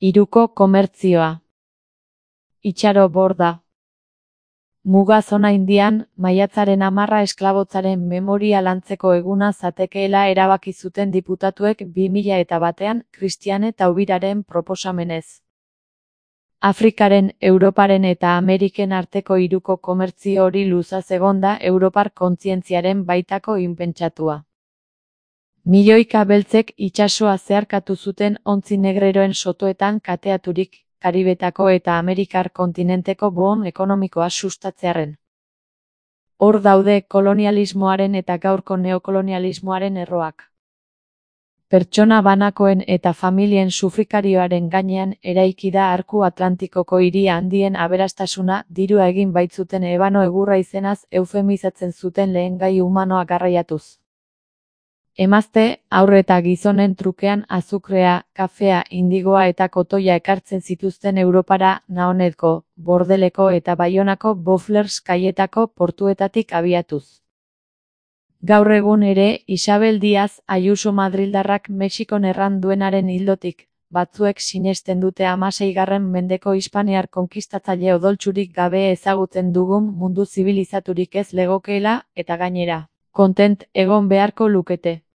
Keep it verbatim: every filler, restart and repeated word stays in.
Hiruko komertzioa. Itxaro Borda. Muga zona Indian, maiatzaren hamarra esklabotzaren memoria lantzeko eguna zatekeela erabaki zuten diputatuek bi mila eta batean Christiane Taubiraren proposamenez. Afrikaren, Europaren eta Ameriken arteko hiruko komertzio hori luzaz egonda Europar kontzientziaren baitako inpentsatua. Milioika beltzek itsasoa zeharkatu zuten ontzi negreroen sotoetan kateaturik, Karibetako eta Amerikar kontinenteko boom ekonomikoa sustatzearren. Hor daude kolonialismoaren eta gaurko neokolonialismoaren erroak. Pertsona banakoen eta familien sufrikarioaren gainean eraiki da arku Atlantikoko hiri handien aberastasuna dirua egin baitzuten ebano egurra izenaz eufemizatzen zuten lehen gai humanoa garraiatuz. Emazte, haur eta gizonen trukean azukrea, kafea, indigoa eta kotoia ekartzen zituzten Europara Naonetko, Bordeleko eta Baionako Boufflers kaietako portuetatik abiatuz. Gaur egun ere, Isabel Diaz Ayuso madrildarrak Mexikon erran duenaren ildotik, batzuek sinesten dute hamaseigarren mendeko hispaniar konkistatzaile odoltsurik gabe ezagutzen dugun mundu zibilizaturik ez legokeela, eta gainera, kontent egon beharko lukete.